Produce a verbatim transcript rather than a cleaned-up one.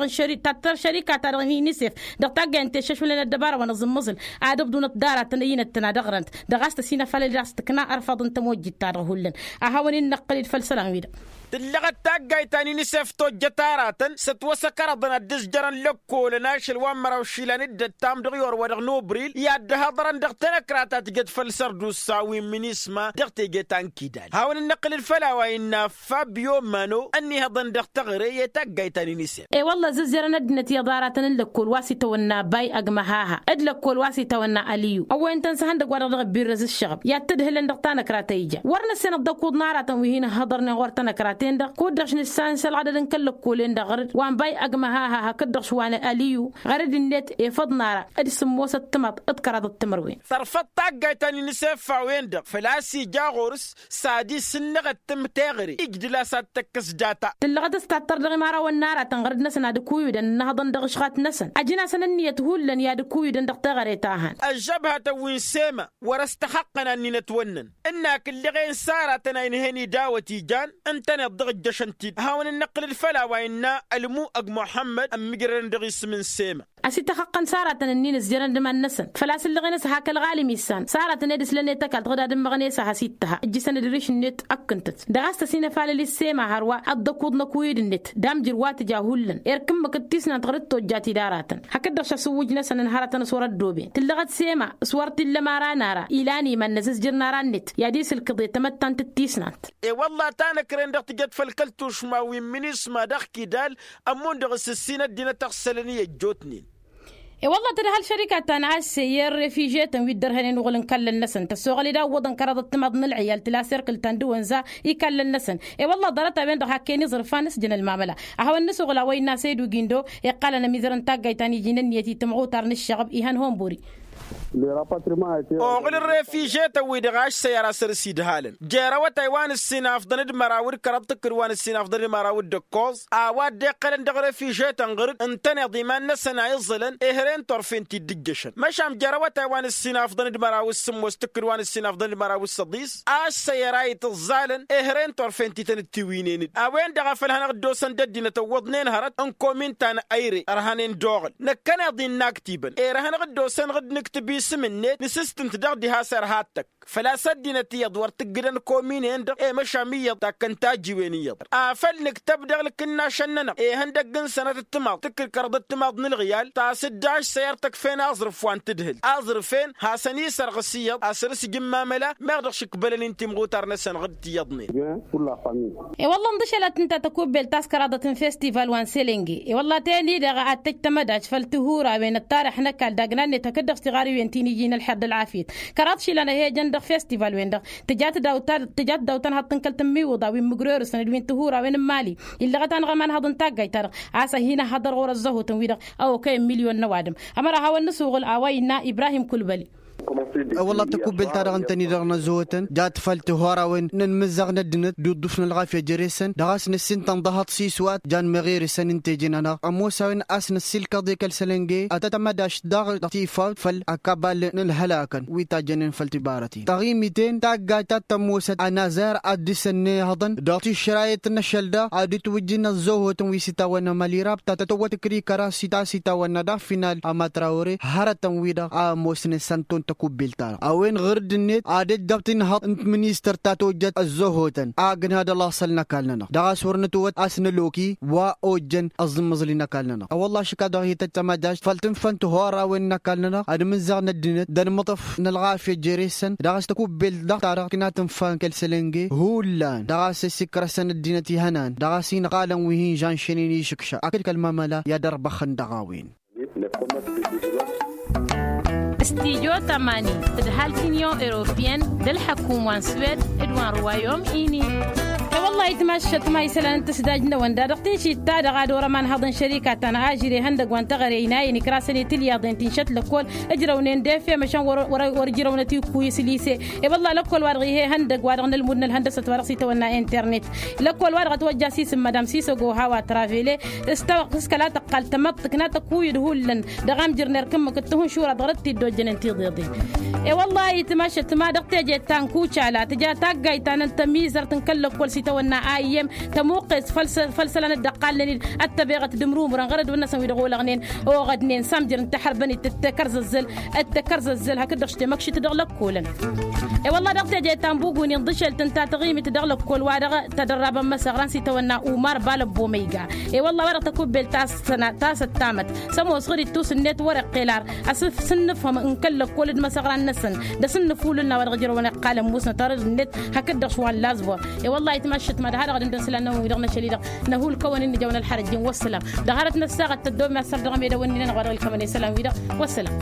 dăɣ-n šări tattăr šărika-ta-dăɣ n-inisef dăɣ-taggayăn teššăšwălăn ăddăbara wa n-aẓǝmmăẓǝl ad-ǝbdunăt d-aratăn ăyyinăt-tăna dăɣ-răn dăɣ-a-s tăsinăfalăl d-a-s tǝkna ărfăḍ n-tămojjit-ta-dăɣ hullan. A hawăn-in-năqqăl-dd făll-isălan-wi-dăɣ. Tǝllăɣăt taggayt ta n-inisef tojjăt aratăn s-ătwăsăkărăḍăn ad-dd-ǝzjărăn lăkkolăn ašăl wa n-măraw išilan d-ăttam dăɣ-i orwa dăɣ-nubril i-ad-dd-hăḍrăn dăɣ-tenăkra ta tǝjăt făll-sărdusa wi n-minisma dăɣ-teje ta n-kidal hawăn-dd-năqqǝlăd făll-a-wa innă fabio mano ănnihăḍăn dăɣ-teɣăre i-taggayt ta n-inisef. E-wălla zǝzzerăn ăddinăt iyyăḍ aratăn n-lăkkol wa s-itawănna bay ăgg măhaha d-lăkkol wa s-itawănna ăliyu ăwwăyăn-tăn s-ihăndăgg-wa-dăɣ dăɣ-ăbbirrăz ǝššăɣăb i-ad-tǝdhǝlăn dăɣ-tanăkra ta ija wăr nǝssenăt d-ăkuḍ n-aratăn wi hin-ǝhhăḍărnen ɣur-tanăkra-ten-dăɣ kud-dăɣ š-nǝssan s-ălɣădăd n-kăl-lăkkolen-dăɣ ɣăr-dd wa n-bay ăgg măhaha hakd-dăɣ š-wa n-ăliyu ɣăr-dd-net efăḍ n-ara d-sǝmmosăt timaḍ d-kăraḍăt timărwen. Tărfăḍ taggayt ta n-inisef a-wen-dăɣ făl-a-s ija ɣur-s s-ad-isǝnnăɣăt tǝmteɣăre ijdǝl a-s ad-tăkkăs data. Tǝllăɣăt s-tattăr dăɣ-imarawăn n-aratăn ɣăr-dd-năsăn ad-ǝkuyǝdăn ǝnnăhăḍăn dăɣ-ǝšɣat-năsăn ăjǝn-asăn ǝnniyăt hullan i-ad-ǝkuyǝdăn dăɣ-teɣăre ta hăn. Ăžžăbhătăn wi n-sema wăr-ăstăxăqqăn ad-ninăt wănnăn ǝnn-ak ǝlleɣen s-aratăn a inhăn idawăt ijan ǝntăneḍ dăɣ-ǝjjăšăn-t-dd hawăn-ǝnnăqqǝlăd făll-a-wa innă ălmu ăgg muḥămmăd ămmigrădăn dăɣ-isǝm n-sema. Ăsităxăqqăn s-aratăn ǝnnin ǝzjărăn d-iman-năsăn făl-a-s ǝllăɣen a-s hak ălɣalim issan s-aratăn ed ǝslăn i-tăkalt ɣǝd ad-ǝmmăɣăn i-s a has-ittăha ǝjjǝsăn d-iriš-net ăkkǝntăt dăɣ-a-s tăsinăfalăl i-ǝssema hărwa ăḍḍăkuḍ n-ăkuyǝd-net d-amjǝr wa tǝja hullan erk ǝmmǝk d-tisnant ɣur-dd tojjat-dd aratăn hakd-dăɣ šăsǝwwǝj-năsăn ǝnhărătăn s-wăr-ăddooben tǝllăɣăt sema s-wăr t-illa ămăra n-ara ilan iman-năs ǝzjǝr n-ara-net i-ad-isǝlkǝḍ i-tamăttant d-tisnant. E-wălla tanăkren dăɣ-tǝjăt făll-kăl-tušma wi n-minisma dăɣ-kidal ămmun dăɣ-s ǝssin ăddinăt ăɣsălăn i-ăjjootnen. E-wălla tǝdhăl šărika ta n-asse i-refiže-tăn wi dd-ărhănen uɣǝl n-ikallăn-năsăn tăssoɣăl-dd a ǝwwăḍăn kăraḍăt timaḍ n-ǝlɣiyal tǝla s-erk ǝltan d-iwănza ikallăn-năsăn. E-wălla ḍarăt-a-wen-dăɣ hak-en iẓrǝfan s-jăn ălmamăla ad-hawăn-nǝsuɣǝl a-wa innă asăydu gindo iqqalăn ămizăr n-taggayt ta n-iji n-ǝnniyăt i-timɣutar n-ǝššăɣăb ihăn honburi. Oɣǝl ărrefiže-tăn-wi-dăɣ ašsăyăra săr-s idhalăn jer-awătay wa n-ǝssinafḍăn d-măraw d-kăraḍ tǝkkǝd wa n-ǝssinafḍăn d-măraw d-ǝkkoẓ a-wa dd-iqqălăn dăɣ-refije-tăn ɣăr-dd ǝntăneḍ iman-năsăn a iẓẓălăn ehăre n-turfen-t-dd-ǝjjăšăn măšan jer-awătay wa n-ǝssinafḍăn d-măraw d-sǝmmos tǝkkǝd wa n-ǝssinafḍăn d-măraw d-săḍis a ăssăyăr a itǝẓẓalăn ehăre n-turfen-ti tăn-dd-tiwǝynen-dd a-wen-dăɣ a făl hanăɣ-dd-osăn d-ăddinăt ǝwwăḍnen hărăt n-komin ta n-ayre ărhănen d-oɣǝl năkkăneḍ-i n-inaktibăn ere hanăɣ-dd-osăn ɣǝd nǝktǝb isǝm-net nǝsǝstǝnt dăɣ-diha s-erha ad-tăkk făl-a-s ăddinăt iyyăḍ wăr tǝggǝdăn komin-en-dăɣ i-măšan iyyăḍ takkăn tajiwen iyyăḍ afăl nǝktăb dăɣ-ǝlkǝnnašăn-nănăɣ ihăndăgg n-sănăt d-timaḍ tǝkkǝd kărăḍăt timaḍ n-ǝlɣiyal tasǝddaš săyăr tăkfen aẓrǝf wa n-tǝdhǝl aẓrǝf-en hasăn-isărɣǝs iyyăḍ a săr-s ija n-mamăla meɣ dăɣ-šǝkbălăn-in timɣutar-năsăn ɣǝd tiyyăḍnen. E-wălla-hi ǝnḍǝšălăt ǝnta tăkubbelt ta s-kăraḍăt n-festival wa n-selenge. E-wălla-hi teni-dăɣ ad-tăj tamădajt făll-tihurawen ăttarăx n-ăkall dagnan-net hakd-dăɣ s-tiɣariwen ti n-iji n-ălxer d-ălɣafyăt kăraḍ išilan a he-ǝjăn dăɣ-festival-wen-dăɣ tǝjat dawta-dăɣ tǝjat dawta n-haḍt n-kăl-tǝmmiwǝḍa wi n-imǝgrorǝsăn d-wi n-tihurawen n-imali illăɣăt-anăɣ ămanhăḍ n-taggayt-ta-dăɣ a-s ad-hin-ăhhăḍăr ɣur-ăzzăhutăn-wi-dăɣ a okăyăn milyon n-ăwadǝm. Ămăra a hawăn-nǝsuɣǝl a-wa innă ibrahim kulbăli. Wălla-hi tăkubbelt-ta-dăɣ ǝntăne-dăɣ n-ăzzăhutăn jat făll-tihurawen n-inmǝzzaɣ n-ăddinăt d-uḍḍuf n-ălɣafya jere-săn dăɣ-a-s nǝssin tănḍăhăḍ s-iswat jan meɣeresăn ǝnta eje-nănăɣ ămoos a-wen a-s năssiilkăḍ i-kăl-sălănge ad-tăt-tamădašt daɣ dăɣ-tifawt făll-akabal n-ǝlhălakăn wi tajjănen făll-tibarăten taɣimiten taggayt ta t-ămoosăt anazar ad-dăr-s ănnihăḍăn dăɣ-tišrayet n-ašăl daɣ ad-dd-twǝjjǝn ăzzăhotăn wi s-itawănna mălirab ta tătwăt ǝkrikăra s-ta s-itawănna daɣ final amătrawăre hărătăn-wi-dăɣ a ămoosnen s-ănton tăkubbelt-ta-dăɣ a-wen ɣur-dd-net ad-ăjjăb tinhăḍt n-tiministăr ta tojjăt ăzzăhotăn a ăgg n-had-ălaṣăl n-ăkall-nănăɣ dăɣ-a-s wăr nǝtwăt a-s năloki wa ojjăn ăẓǝmmăẓli n-ăkall-nănăɣ. A wălla-hi šǝkka dăɣ-hi-tăjj tamădajt făll-tǝnfa n-tihorawen n-ăkall-nănăɣ ad-imǝzzaɣ n-ăddinăt d-anmǝṭṭăf n-ălɣafya jere-săn dăɣ-a-s tăkubbelt dăɣ-ta-dăɣ tǝkna tǝnfa n-kăl-sălănge hullan dăɣ-a-s ăssikrăsăn ăddinăt ihănan dăɣ-a-s inɣalăn wi hin-žănšănen išǝkša akǝd kăl-mamăla i-ad-ărbăxăn dăɣ-a-wen. Studyo tămani tǝdhal t-inyon europiyăn d-ălḥăkum wa n-swed d-wa n-ruwayom ini. E-wăllah itmaššăt ma isălan n-tǝsdaj-năwăn dadăɣ tišit-ta-dăɣ ad-orăm anhăḍ n-šărika ta n-ažir ihăndăg wa n-teɣăre inayăn ikrasăn i-tilyaḍen ti n-šăt lăkkol ǝjrăwnen d-efem ăšăn wăr-ǝjrăwnăt ikkuyǝs lise. E-wăllah lăkkol-wa-dăɣ ih'-e ihăndăg wa dăɣ-nălmud n-ălhăndăsăt wa dăɣ-s itawănna internet lăkkol-wa-dăɣ ătwăjja s-isǝm madam sisăgo hawa travele s-kăla tăqqal tămăḍt tǝkna tăkuyǝd hullan dăɣ-amjăr n-erk ǝmmǝk d-tihǝnšura dăɣ-rǝt t-dd-ojjănen tiḍeḍen. E-wăllah itmašăt ma dăɣ-teje ta n-kucala tǝja taggayt ta n-tămizărt n-kăl-lăkkol s-itawănna Tăwănna a iyyăm tămuqqes făll-isălan dd-ăqqalnen-dd ăttăbeɣăt d-imrumrăn ɣărădwen-năsăn wi dăɣ-olăɣnen oɣădnen s-amjăr n-tahărbănit d-tekărzăzzăl. D-tekărzăzzăl hakd-dăɣ s-temăkšit dăɣ-lăkkolăn. E-wălla dăɣ-teje ta n-bugunin ḍǝšelt ǝnta taɣimit dăɣ-lăkkol wa dăɣ-tădărrabăn măsăɣran s-itawănna umar balăbbo măyga. E-wălla wa dăɣ-tăkubbel ta s-ăttamăt s-ămoos ɣǝr-ittus-net wăr-iqqel ar asǝf s-ǝnnǝfhăm n-kăl-lăkkol d-imăsăɣran-năsăn d-asǝnnǝf hulǝl n-a-wa dăɣ-ijrăwăn iqqalăn musnăt arăd-net hakd-dăɣ šwa n-lazbor. I-wăllah itmaššăt ma d-ha-dăɣ ad-ǝndăn isălan-năwăn wi-dăɣ n-ašăl-i-dăɣ năhulkăwăn-in nǝjăwăn ălxărăj-in wăssălam. Dăɣ-hărăt năssaɣăt tăddoobem a s-săr dăɣ-emedăwăn-nin-anăɣ wa dăɣ-ilkămăn isălan-wi-dăɣ. Wăssălam.